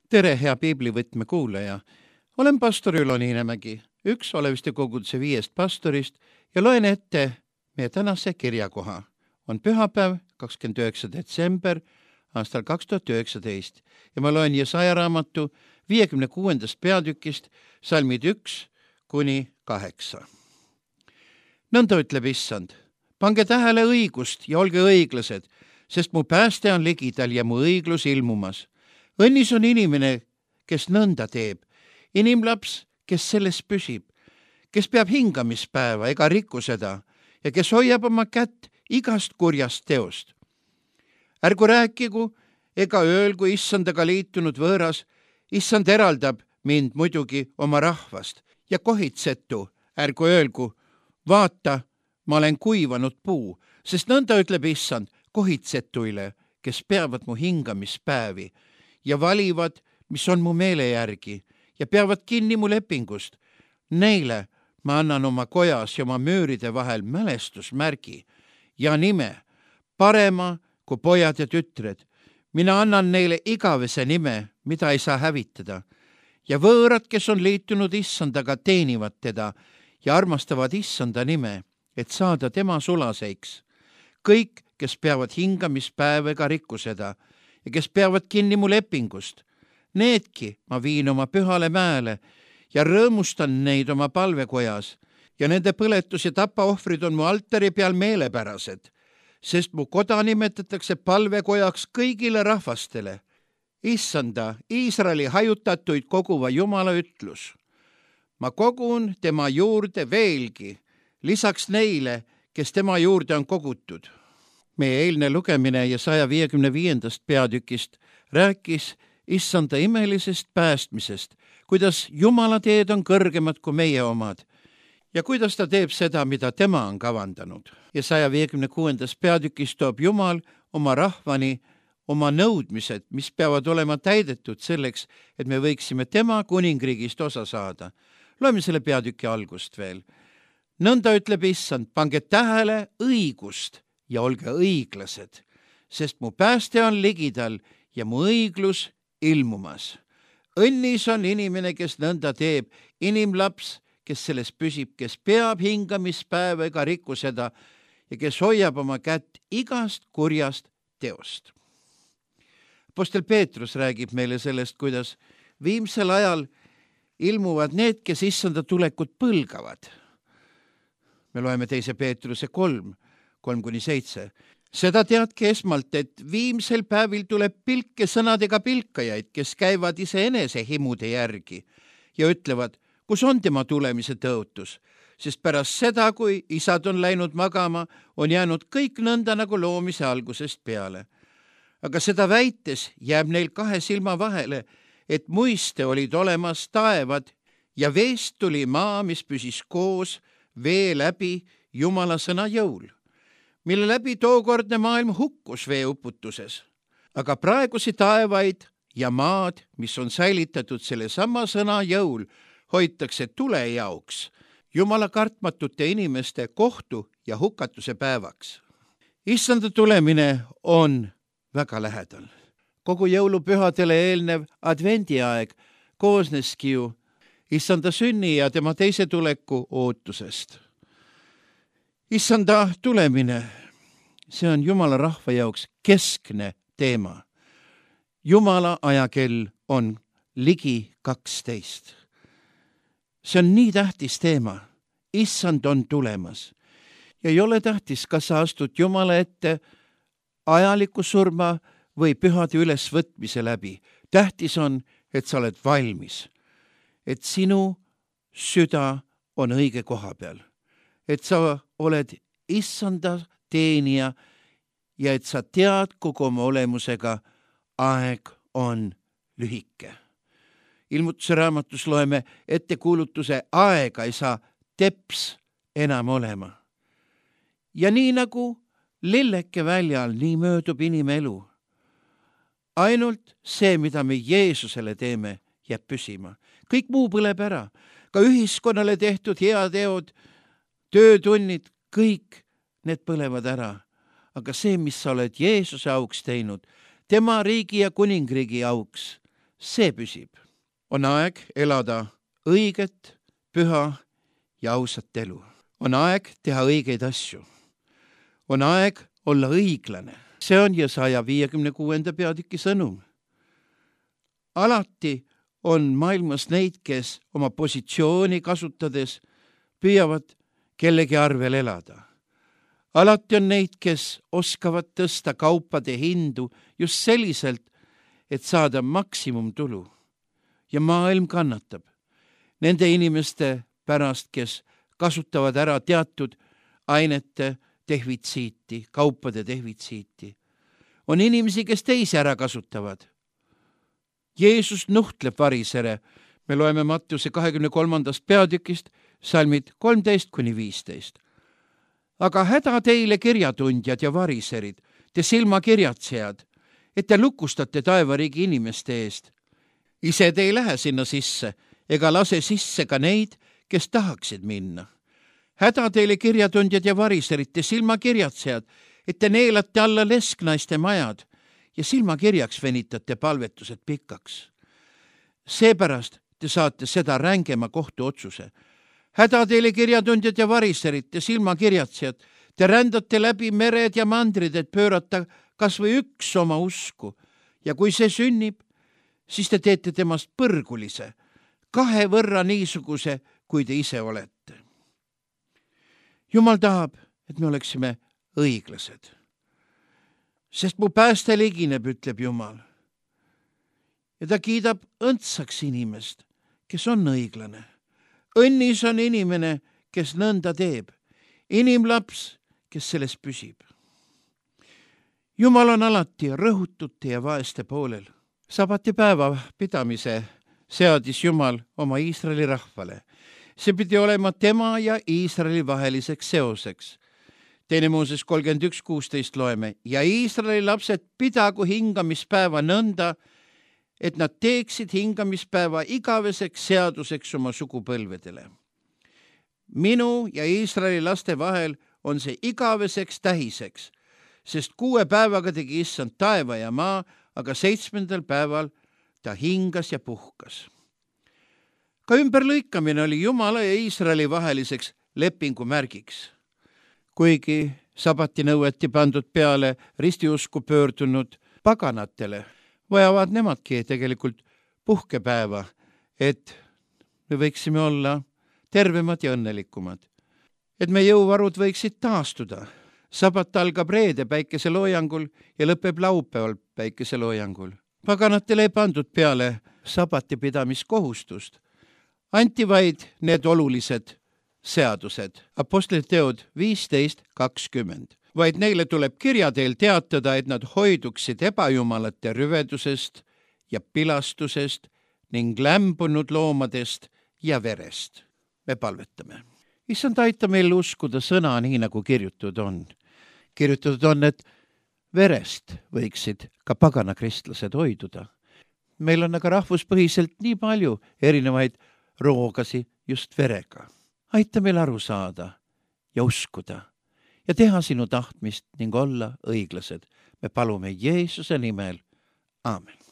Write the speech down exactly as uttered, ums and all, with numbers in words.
tere, hea piiblivõtme kuulaja. Olen pastor Ülo Niinemägi, üks Oleviste koguduse viiest pastorist ja loen ette meie tänase kirjakoha. On pühapäev, kakskümmend üheksa detsember aastal kaks tuhat üheksateist ja ma loen Jesaja raamatu viiekümne kuuendast peatükist salmid üks kuni kaheksa. Nõnda ütleb Issand, pange tähele õigust ja olge õiglased, sest mu pääste on ligidal ja mu õiglus ilmumas. Õnnis on inimene, kes nõnda teeb, inimlaps, kes selles püsib, kes peab hingamispäeva ega riku seda ja kes hoiab oma kätt igast kurjast teost. Ärgu rääkigu ega öelgu Issandaga liitunud võõras, Issand eraldab mind muidugi oma rahvast ja kohitsetu, ärgu öelgu, vaata, ma olen kuivanud puu, sest nõnda ütleb Issand kohitsetuile, kes peavad mu hingamispäevi ja valivad, mis on mu meele järgi ja peavad kinni mu lepingust. Neile ma annan oma kojas ja oma müüride vahel mälestusmärgi ja nime, parema kui pojad ja tütred. Mina annan neile igavese nime, mida ei saa hävitada. Ja võõrad, kes on liitunud Issandaga, teenivad teda ja armastavad Issanda nime, et saada tema sulaseiks. Kõik, kes peavad hingamispäeva ega rikku seda ja kes peavad kinni mu lepingust, needki ma viin oma pühale mäele ja rõõmustan neid oma palvekojas ja nende põletus ja tapaohvrid on mu altari peal meelepärased, sest mu koda nimetatakse palvekojaks kõigile rahvastele. Issanda, Iisraeli hajutatuid koguva Jumala ütlus. Ma kogun tema juurde veelgi, lisaks neile, kes tema juurde on kogutud. Meie eilne lugemine Jesaja viiekümne viiendast peatükist rääkis Issanda imelisest päästmisest, kuidas Jumala teed on kõrgemad kui meie omad ja kuidas ta teeb seda, mida tema on kavandanud. Jesaja viiekümne kuuendas peatükis toob Jumal oma rahvani oma nõudmised, mis peavad olema täidetud selleks, et me võiksime tema kuningriigist osa saada. Loeme selle peatüki algust veel. Nõnda ütleb Issand, pange tähele õigust ja olge õiglased, sest mu pääste on ligidal ja mu õiglus ilmumas. Õnnis on inimene, kes nõnda teeb, inimlaps, kes selles püsib, kes peab hingamispäeva ega riku seda ja kes hoiab oma kätt igast kurjast teost. Apostel Peetrus räägib meile sellest, kuidas viimsel ajal ilmuvad need, kes Issanda tulekut põlgavad. Me loeme teise Peetruse kolm, kolm kuni seitse. Seda teadke esmalt, et viimsel päevil tuleb pilke sõnadega pilkajaid, kes käivad iseenese himude järgi ja ütlevad, kus on tema tulemise tõotus, sest pärast seda, kui isad on läinud magama, on jäänud kõik nõnda nagu loomise algusest peale. Aga seda väites jääb neil kahe silma vahele, et muiste olid olemas taevad ja veest tuli maa, mis püsis koos vee läbi Jumala sõna jõul, mille läbi tookordne maailm hukkus veeuputuses. Aga praegusi taevaid ja maad, mis on säilitatud selle sama sõna jõul, hoitakse tule jaoks, Jumala kartmatute inimeste kohtu ja hukatuse päevaks. Issanda tulemine on väga lähedal. Kogu jõulupühadele eelnev advendiaeg koosneski ju Issanda sünni ja tema teise tuleku ootusest. Issanda tulemine, see on Jumala rahva jaoks keskne teema. Jumala ajakell on ligi kaksteist. See on nii tähtis teema. Issand on tulemas. Ja ei ole tähtis, kas sa astud Jumala ette ajaliku surma või pühade ülesvõtmise läbi. Tähtis on, et sa oled valmis, et sinu süda on õige koha peal, et sa oled Issanda teenija ja et sa tead kogu oma olemusega, aeg on lühike. Ilmutuse raamatus loeme ettekuulutuse, aega ei saa teps enam olema. Ja nii nagu lilleke väljal, nii möödub inimelu. Ainult see, mida me Jeesusele teeme, jääb püsima. Kõik muu põleb ära. Ka ühiskonnale tehtud heateod, töötunnid, kõik need põlevad ära. Aga see, mis sa oled Jeesuse auks teinud, tema riigi ja kuningriigi auks, see püsib. On aeg elada õiget, püha ja ausat elu. On aeg teha õigeid asju. On aeg olla õiglane. See on Jesaja viiekümne kuuenda peatüki sõnum. Alati on maailmas neid, kes oma positsiooni kasutades püüavad kellegi arvel elada. Alati on neid, kes oskavad tõsta kaupade hindu just selliselt, et saada maksimumtulu. Ja maailm kannatab nende inimeste pärast, kes kasutavad ära teatud ainete defitsiiti, kaupade defitsiiti. On inimesi, kes teisi ära kasutavad. Jeesus nuhtleb varisere. Me loeme Mattuse kahekümne kolmandast peatükist salmid kolmteist kuni viisteist. Aga häda teile kirjatundjad ja variserid, te silmakirjatsejad, et te lukustate taevariigi inimeste eest. Ise te ei lähe sinna sisse, ega lase sisse ka neid, kes tahaksid minna. Häda teile kirjatundjad ja variserid, te silmakirjatsejad, et te neelate alla lesknaiste majad ja silmakirjaks venitate palvetused pikaks. Seepärast te saate seda rängema kohtuotsuse. Häda teile kirjatundjad ja variserid, te silmakirjatsejad, te rändate läbi mered ja mandrid, et pöörata kas või üks oma usku. Ja kui see sünnib, siis te teete temast põrgulise, kahe võrra niisuguse, kui te ise olete. Jumal tahab, et me oleksime õiglased. Sest mu pääste ligineb, ütleb Jumal. Ja ta kiidab õndsaks inimest, kes on õiglane. Õnnis on inimene, kes nõnda teeb. Inimlaps, kes selles püsib. Jumal on alati rõhutute ja vaeste poolel. Sabati päeva pidamise seadis Jumal oma Iisraeli rahvale. See pidi olema tema ja Iisraeli vaheliseks seoseks. Teine Mooses kolmkümmend üks kuusteist loeme. Ja Iisraeli lapsed pidagu hingamispäeva nõnda, et nad teeksid hingamispäeva igaveseks seaduseks oma sugupõlvedele. Minu ja Iisraeli laste vahel on see igaveseks tähiseks, sest kuue päevaga tegi issand taeva ja maa, aga seitsmendal päeval ta hingas ja puhkas. Ka ümberlõikamine oli Jumala ja Iisraeli vaheliseks lepingu märgiks. Kuigi sabati nõueti pandud peale ristiusku pöördunud paganatele, vajavad nemadki tegelikult puhkepäeva, et me võiksime olla tervemad ja õnnelikumad. Et me jõuvarud võiksid taastuda. Sabat algab reede päikeseloojangul ja lõpeb laupäeval päikeseloojangul. Paganatele ei pandud peale sabati pidamiskohustust. Anti vaid need olulised seadused. Apostlite teod viisteist kakskümmend. Vaid neile tuleb kirja teel teatada, et nad hoiduksid ebajumalate rüvedusest ja pilastusest ning lämbunud loomadest ja verest. Me palvetame. Issand, aita meil uskuda sõna nii, nagu kirjutatud on. Kirjutatud on, et verest võiksid ka pagana kristlased hoiduda. Meil on aga rahvuspõhiselt nii palju erinevaid roogasi just verega. Aita meil aru saada ja uskuda ja teha sinu tahtmist ning olla õiglased. Me palume Jeesuse nimel. Aamen.